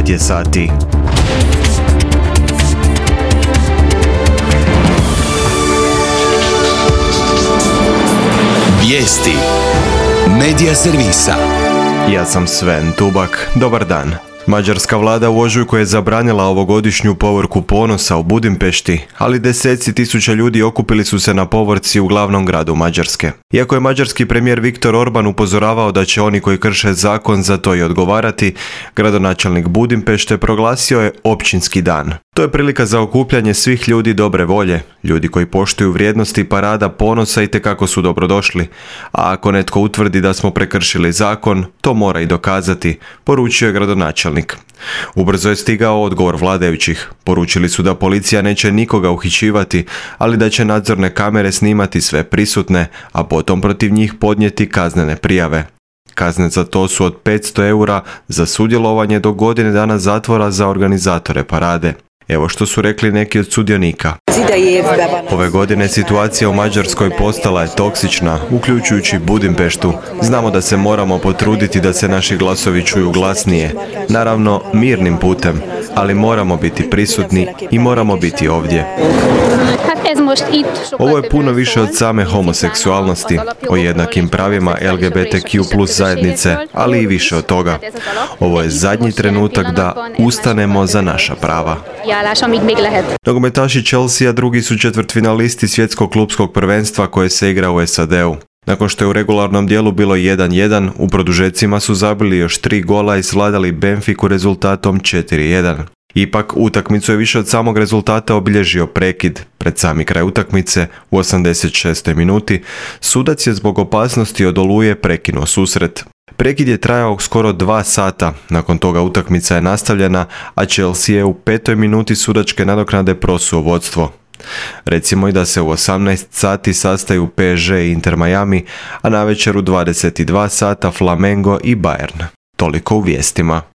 9 je sati. Vijesti Medija servisa. Ja sam Sven Tubak. Dobar dan. Mađarska vlada u ožujku je zabranila ovogodišnju povorku ponosa u Budimpešti, ali deseci tisuća ljudi okupili su se na povorci u glavnom gradu Mađarske. Iako je mađarski premijer Viktor Orban upozoravao da će oni koji krše zakon za to i odgovarati, gradonačelnik Budimpešte proglasio je općinski dan. To je prilika za okupljanje svih ljudi dobre volje. Ljudi koji poštuju vrijednosti parada ponosa itekako su dobrodošli, a ako netko utvrdi da smo prekršili zakon, to mora i dokazati, poručio je gradonačelnik. Ubrzo je stigao odgovor vladajućih. Poručili su da policija neće nikoga uhićivati, ali da će nadzorne kamere snimati sve prisutne, a potom protiv njih podnijeti kaznene prijave. Kazne za to su od 500 eura za sudjelovanje do godine dana zatvora za organizatore parade. Evo što su rekli neki od sudionika. Ove godine situacija u Mađarskoj postala je toksična, uključujući Budimpeštu. Znamo da se moramo potruditi da se naši glasovi čuju glasnije. Naravno, mirnim putem, ali moramo biti prisutni i moramo biti ovdje. Ovo je puno više od same homoseksualnosti, o jednakim pravima LGBTQ+ zajednice, ali i više od toga. Ovo je zadnji trenutak da ustanemo za naša prava. Nogometaši Chelsea drugi su četvrtfinalisti svjetskog klupskog prvenstva koje se igra u SAD-u. Nakon što je u regularnom dijelu bilo 1-1, u produžecima su zabili još 3 gola i svladali Benfiku rezultatom 4-1. Ipak, utakmicu je više od samog rezultata obilježio prekid. Pred sami kraj utakmice, u 86. minuti, sudac je zbog opasnosti od oluje prekinuo susret. Prekid je trajao skoro 2 sata, nakon toga utakmica je nastavljena, a Chelsea je u 5. minuti sudačke nadoknade prosuo vodstvo. Recimo i da se u 18 sati sastaju PSG i Inter Miami, a navečer u 22 sata Flamengo i Bayern. Toliko u vijestima.